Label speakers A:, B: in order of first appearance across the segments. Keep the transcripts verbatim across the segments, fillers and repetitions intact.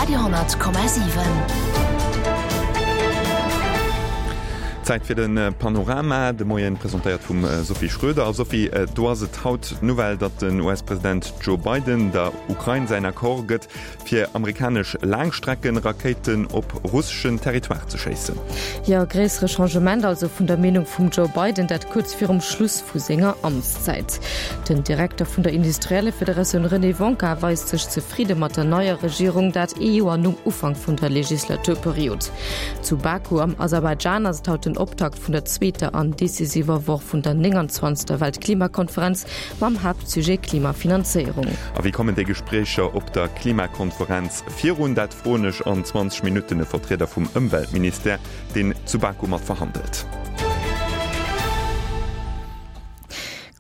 A: Radio honnert Komma siwen.
B: Zäit fir de Panorama, de Moien presentéiert vum Sophie Schröder. A Sophie, do ass et haut d'Nouvelle, datt den U S-President Joe Biden der Ukrain säin Accord gëtt, fir amerikanesch Laangstreckenrakéiten op russeschen Territoire ze schéissen.
C: Jo, gréissere Changement also vun der Meenung vum Joe Biden, dat kuerz virum Schluss vu senger Amtszäit. Den Direkter vun der Industriellefederatioun René Wonka weist sech zefridde mat der neier Regierung, dat ee Joer nom Ufank vun der Legislaturperiod. Zu Baku am Aserbaidschan ass et haut den Optakt vun der zweeter an decisiver Woch vun der nénganzwanzegster Weltklimakonferenz mam Haaptsujet Klimafinanzéierung.
B: A wéi kommen déi Gespréicher op der Klimakonferenz virun? Dat froen ech an zwanzeg Minutten e Vertrieder vum Ëmweltministère, deen zu Baku mat verhandelt.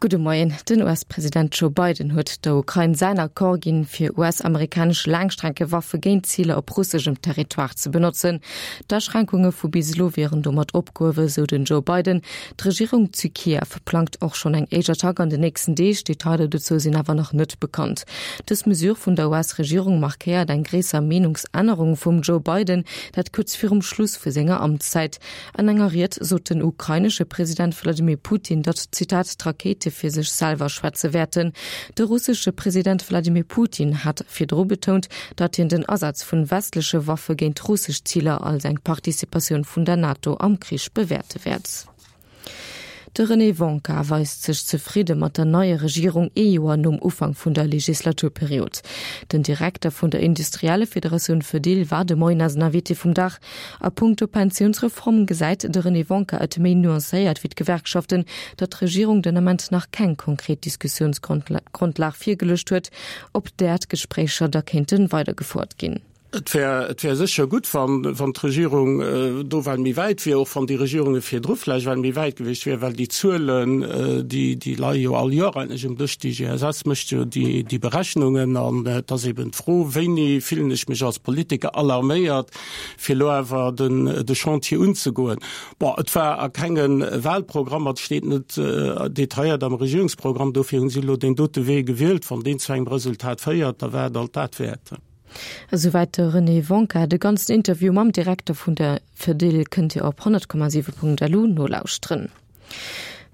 C: Gudde Moien. Den U S-President Joe Biden huet der Ukrain säin Accord ginn, fir U S-amerikanesch Laangstreckewaffe géint Ziler op russeschem Territoire ze benotzen. D'Aschränkunge vu bis elo wieren domat opgehuewen, sou den Joe Biden. D'Regierung zu Kiew plangt och schonn eng éischt Attack an den nächsten Deeg, Detailer dozou sinn awer nach net bekannt. Dës Mesure vun der U S-Regierung markéiert eng gréisser Meenungsännerung vum Joe Biden, dat kuerz virum Schluss vu senger Amtszäit. An enger Ried sot den ukrainesche President Wladimir Putin, datt, Zitat, d'Rakéite fir sech selwer schwätze wäerten. De russesche President Wladimir Putin hat virdru betount, datt hien den Asaz vun westleche Waffe géint russesch Ziler als eng Participatioun vun der NATO am Krich bewäerte wäert. De René Wonka weist sech zefridde mat der neier Regierung ee Joer nom Ufank vun der Legislaturperiod. Den Direkter vun der Industriellefederatioun Fedil war de Moien eisen Invité vum Dag. A punkto Pensiounsreform gesäit de René Wonka et méi nuancéiert wéi d'Gewerkschaften, datt d'Regierung den Ament nach keng konkret Diskussiounsgrondlag virgeluecht huet, op där d'Gespréicher da kéinte weidergefouert ginn.
D: Et wär, et wär sécher gutt, wann, wann d'Regierung äh, do well méi wäit wier, och wann déi Regierunge virdru vläicht well méi wäit gewiescht wier, well déi Zuelen, äh, déi, déi leie jo all Joer eigentlech um Dësch, d'I G S S mécht jo déi, déi Berechnungen an äh, et ass eben d'Fro, wéini fillen ech mech als Politiker alarméiert, fir lo awer den, de Chantier unzegoen. Bon, et war a kenge Wahlprogrammer, et steet net äh, detailléiert am Regierungsprogramm, dofir hunn si lo deen dote Wee gewielt, wann deen zu engem Resultat féiert, da war et alt dat wäert.
C: Esouwäit de René Wonka. De ganzen Interview mam Direkter vun der Fedil kënnt Dir op honnert Komma siwe Punkt L U nolauschteren.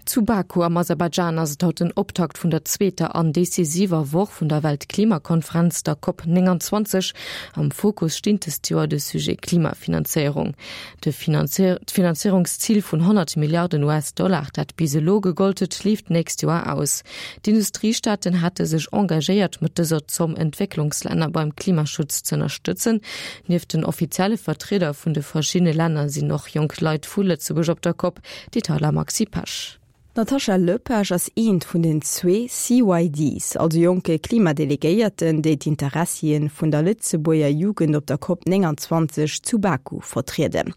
C: Zu Baku am Aserbaidschan ass et haut den Optakt vun der zweeter an decisiver Woch vun der Weltklimakonferenz, der COP nénganzwanzeg. Am Fokus steet dëst Joer de Sujet Klimafinanzéierung. De Finanzéierungszil vun honnert Milliarden U S-Dollar, dat bis elo gegollt huet, leeft d'nächst Joer aus. D'Industriestaaten hate sech engagéiert, mat dëser Zomm Entwécklungslänner beim Klimaschutz ze ënnerstëtzen. Nieft den offizielle Vertrieder vun de verschiddene Länner sinn och jonk Leit vu Lëtzebuerg op der COP. Detailer Maxi Pesch.
E: D'Natasha Lepage ass eent vun den zwee C Y Ds, also jonke Klimadelegéierten, déi d'Interessien vun der Lëtzebuerger Jugend op der COP nénganzwanzeg zu Baku vertrieden.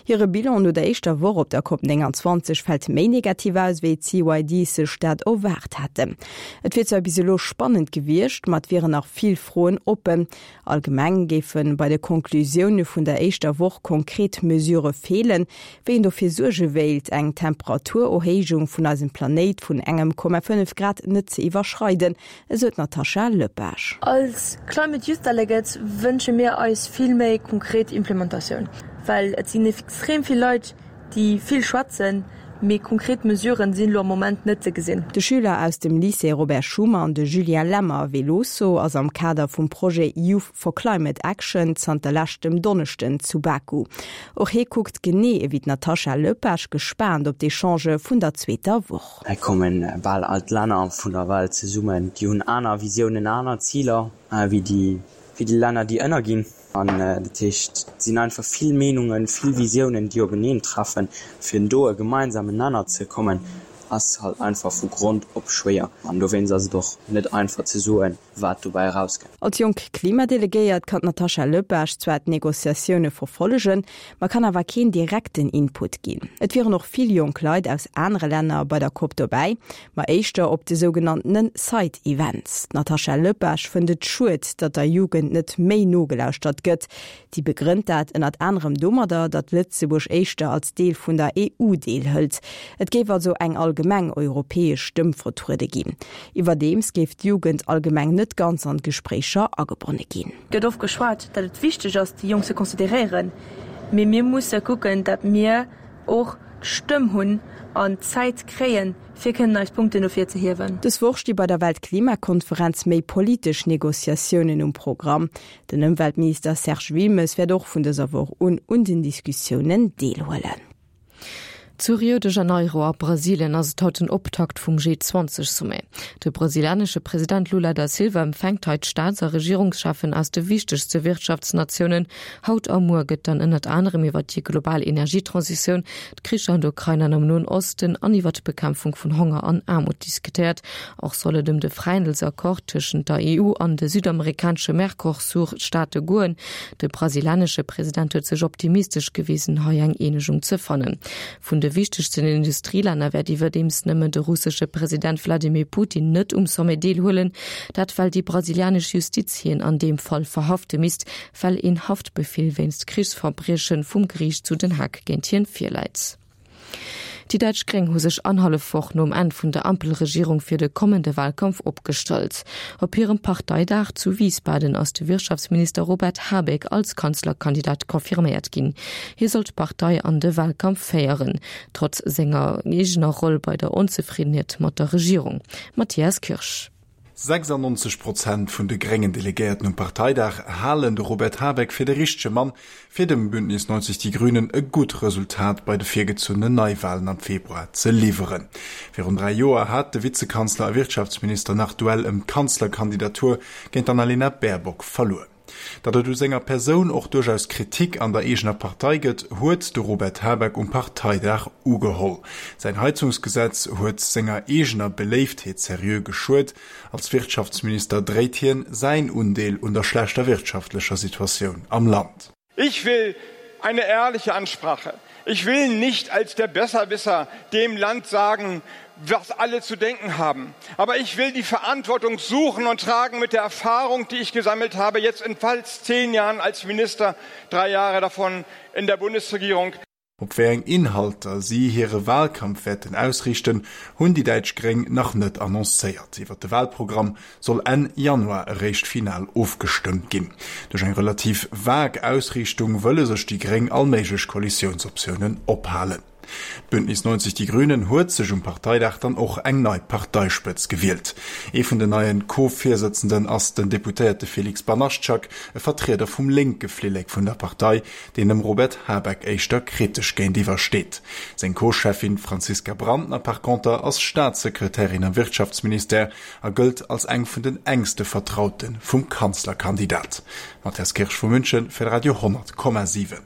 E: Hire Bilan no der éischter Woch op der COP nénganzwanzeg fält méi negativ aus, wéi d'C Y Ds sech dat erwaart haten. Et wier zwar bis elo spannend gewiescht, ma et wieren nach vill Froen oppen. Allgemeng géife bei de Konklusioune vun der éischter Woch konkret Mesurë feelen, wéi een dofir suerge wéilt, eng Temperaturerhéijung vun eisem Planéit vun engem Komma fënnef Grad net ze iwwerschreiden, esou d'Natasha Lepage.
F: Als Climate Youth Delegates wënsche mir eis vill méi konkret Implementatioun, well et sinn extrem vill Leit, déi vill schwätzen, mee konkret Mesuren sinn lo am Moment net ze gesinn.
E: De Schüler aus dem Lycée Robert Schuman, de Julien Lemmer Veloso, ass am Kader vum Projet Youth for Climate Action zanter leschtem Donneschden zu Baku. Och hie kuckt genee ewéi d'Natasha Lepage gespaant op d'Echangë vun der zweeter Woch.
G: Hei komme bal all d'Länner vun der Welt zesummen, déi hunn aner Visiounen, aner Ziler wéi déi wéi déi Länner, déi ënnerginn. An dat heescht, et sinn einfach vill Meenungen, vill Visiounen, déi openeen treffen. Fir do e gemeinsamen Nenner ze kommen, ass halt einfach vu Grond op schwéier. An dowéinst ass et och net einfach ze soen, wat dobäi erauskënnt.
E: Als jonk Klimadelegéiert kann d'Natasha Lepage zwar d'Negociatioune verfollegen, ma kann awer keen direkten Input ginn. Et wieren och vill jonk Leit aus anere Länner bei der COP dobäi, ma éischter op de sougenannte Side Events. D'Natasha Lepage fënnt et schued, datt der Jugend net méi nogelauschtert gëtt. Si begrënnt dat ënnert anerem domadder, datt Lëtzebuerg éischter als Deel vun der E U deelhëlt. Et géif also eng allgemeng europäesch Stëmm vertruede ginn. Iwwerdeems géif d'Jugend allgemeng net net ganz an d'Gespréicher agebonne ginn.
F: Gëtt oft geschwat, datt et wichteg ass, déi Jonk ze consideréieren, mee mir musse kucken, datt mir och d'Stëmm hunn an d'Zäit kréien, fir kënnen eis Punkten no vir ze hiewen.
E: Dës Woch sti bei der Weltklimakonferenz méi politesch Negociatiounen um Programm. Den Ëmweltminister Serge Wilmes wäert och vun dëser Woch un un den Diskussiounen deelhuelen.
C: Zu Rio de Janeiro a Brasilien ass et haut den Optakt vum G zwanzeg Sommet. De brasilianesche President Lula da Silva empfänkt hei d'Staats a Regierungscheffen aus de wichtegste Wirtschaftsnatiounen. Haut a muer gëtt dann ënnert anerem iwwer déi global Energietransitioun, d'Kricher an der Ukrain an am Noen Osten an iwwer d'Bekämpfung vun Honger an Aarmut diskutéiert. Och soll et ëm de Fräihandelsaccord tëschent der E U an de südamerikanesche Mercosur-Staate goen. De brasilianesche President huet sech optimistesch gewisen, hei eng Eenegung ze fannen. Vun de wichtegsten Industrielänner wäert iwwerdeems nëmmen de russesche President Wladimir Putin net um Sommet deelhuelen. Dat well déi brasilianesch Justiz hien an deem Fall verhafte misst, well een Haftbefeel wéinst Krichsverbrieche vum Geriicht zu Den Haag géint hien virläit. Déi däitsch Gréng hu sech annerhallef Woch nom Enn vun der Ampelregierung fir de kommende Wahlkampf opgestallt. Op hirem Parteidag zu Wiesbaden ass de Wirtschaftsminister Robert Habeck als Kanzlerkandidat confirméiert ginn. Hie soll d'Partei an de Wahlkampf féieren, trotz senger eegener Roll bei der Onzefriddenheet mat der Regierung. Matthias Kirsch.
H: sechsundneunzeg Prozent vun de gréngen Delegéierten um Parteidag halen de Robert Habeck fir de richtege Mann, fir dem Bündnis neunzig Die Grünen e gutt Resultat bei de virgezunnenen Neiwahlen am Februar ze liwweren. Virun dräi Joer hat de Vizekanzler a Wirtschaftsminister nach d'Duell ëm d'Kanzlerkandidatur géint d'Annalena Baerbock verluer. Datt et u senger Persoun och duerchaus Kritik an der eegener Partei gëtt, huet de Robert Habeck um Parteidag ugeholl. Säin Heizungsgesetz huet senger eegener Beléiftheet seriö geschuet. Als Wirtschaftsminister dréit hien säin Undeel un der schlechter wirtschaftlecher Situatioun am Land.
I: Ich will eine ehrliche Ansprache. Ich will nicht als der Besserwisser dem Land sagen, was alle zu denken haben. Aber ich will die Verantwortung suchen und tragen mit der Erfahrung, die ich gesammelt habe, jetzt in fast zehn Jahren als Minister, drei Jahre davon in der Bundesregierung.
H: Op wéi eng Inhalter si hire Wahlkampf wäerten ausriichten, hunn déi däitsch Gréng nach net annoncéiert. Iwwer de Wahlprogramm soll Enn Januar eréischt final ofgestëmmt ginn. Duerch eng relativ vag Ausriichtung wëlle sech déi Gréng all méiglech Koalitiounsoptiounen ophalen. D'Bündnis neunzig Die Grünen huet sech um Parteidag dann och eng nei Parteispëtz gewielt. Ee vun den neien Co-Virsëtzenden ass den Deputéierte Felix Banaszczak, e Vertrieder vum lénke Flillek vun der Partei, deen dem Robert Habeck éischter kritesch géintiwwer steet. Seng Co-Cheffin Franziska Brandner par conter ass Staatssekretärin am Wirtschaftsministère a gëllt als eng vun den engste Vertraute vum Kanzlerkandidat. Matthias Kirsch vu München fir Radio honnert Komma siwen.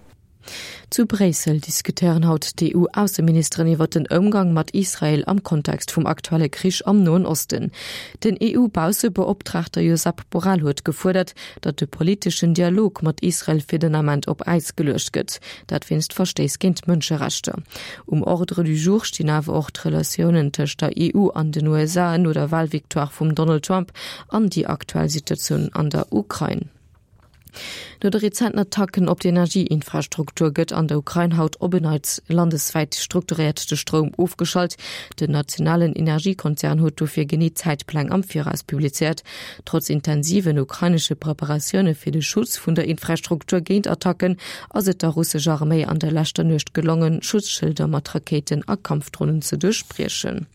C: Zu Bréissel diskutéieren haut d'E U-Ausseministeren iwwer den Ëmgang mat Israel am Kontext vum aktuelle Krich am Noen Osten. Den E U-Baussebeoptraagter Josep Borrell huet gefuerdert, datt de politeschen Dialog mat Israel fir den Ament op Äis geluecht gëtt. Dat wéinst Verstéiss géint d'Mënscherechter. Um Ordre du jour stinn awer och d'Relatiounen tëscht der E U an den U S A no der Wahlvictoire vum Donald Trump an déi aktuell Situatioun an der Ukrain. No de rezenten Attacken op d'Energieinfrastruktur gëtt an der Ukrain haut op en Neits landeswäit strukturéiert de Stroum ofgeschalt. Den nationalen Energiekonzern huet dofir genee Zäitpläng am Viraus publizéiert. Trotz intensiven ukrainesche Preparatioune fir de Schutz vun der Infrastruktur géint Attacken ass et der russescher Arméi an der leschter Nuecht gelongen, Schutzschilder mat Rakéiten a Kampfdronen ze duerchbriechen.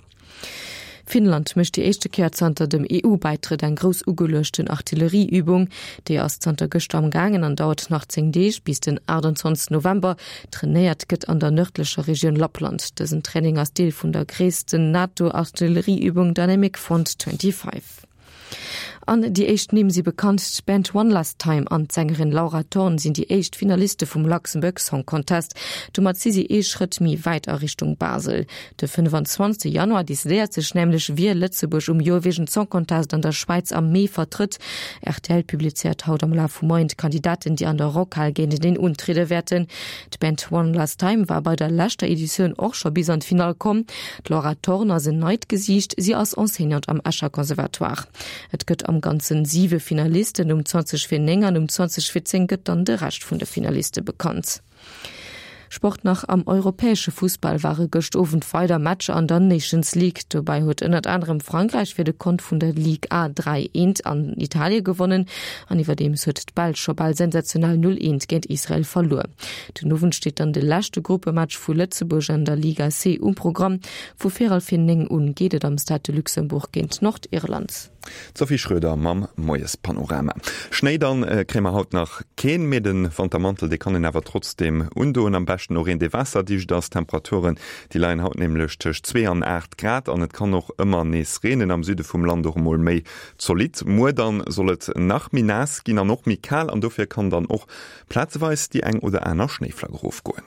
C: Finnland mécht déi éischte Kéier zanter dem E U-Bäitrëtt eng grouss ugeluechten Artillerieübung. Déi ass zanter gëschter am gaangen an dauert nach zéng Deeg bis den achtundzwanzigsten November. Trainéiert gëtt an der nërdlecher Regioun Lappland. Dësen Training ass Deel vun der gréissten NATO-Artillerieübung Dynamic Front twenty-five. An déi éischt Nimm si bekannt, d'Band One Last Time an d'Sängerin Laura Thorn sinn déi éischt Finaliste vum Luxembourg Song Contest. Domat si si ee Schrëtt méi wäit a Richtung Basel. De fënnefanzwanzigste Januar decidéiert sech nämlech, wie Lëtzebuerg um Eurovision Song Contest an der Schwäiz am Mee vertrëtt. R T L publizéiert haut am Laf vum Moien d'Kandidaten, déi an der Rockhal géinteneen untriede wäerten. D'Band One Last Time war bei der leschter Editioun och scho bis an d'Finall komm. D'Laura Thorn ass en neit Gesiicht, si ass Enseignante am Escher Conservatoire. Et gëtt am Ganzen siwe Finalisten, um zwanzeg vir néng an um zwanzeg vir zéng gëtt dann de Rescht vun de Finaliste bekannt. Sport nach am europäesche Fussball ware gëscht Owend weider Matcher an der Nations League. Dobäi huet ënnert anerem Frankräich fir de Kont vun der Ligue A dräi eent an Italie gewonnen an iwwerdeems huet d'Belsch scho bal sensationell null eent géint Israel verluer. Den Owend steet dann de leschte Gruppematch vu Lëtzebuerg an der Liga C um Programm. Vu véierel vir néng un geet et am Stade de Luxembourg géint Nordirland.
B: D'Sophie Schröder mam Moiespanorama. Schnéi dann kréie mer haut nach keen, mee de Wantermantel dee kann een awer trotzdeem undoen. Am beschten och een dee waasserdicht ass. D'Temperaturen déi leien haut nämlech tëscht zwee an aacht Grad an et kann och ëmmer nees reenen, am Süde vum Land och emol méi zolidd. Muer dann soll et nach méi naass ginn an och méi kal an dofir kann dann och plazeweis déi eng oder aner Schnéiflack erofgoen.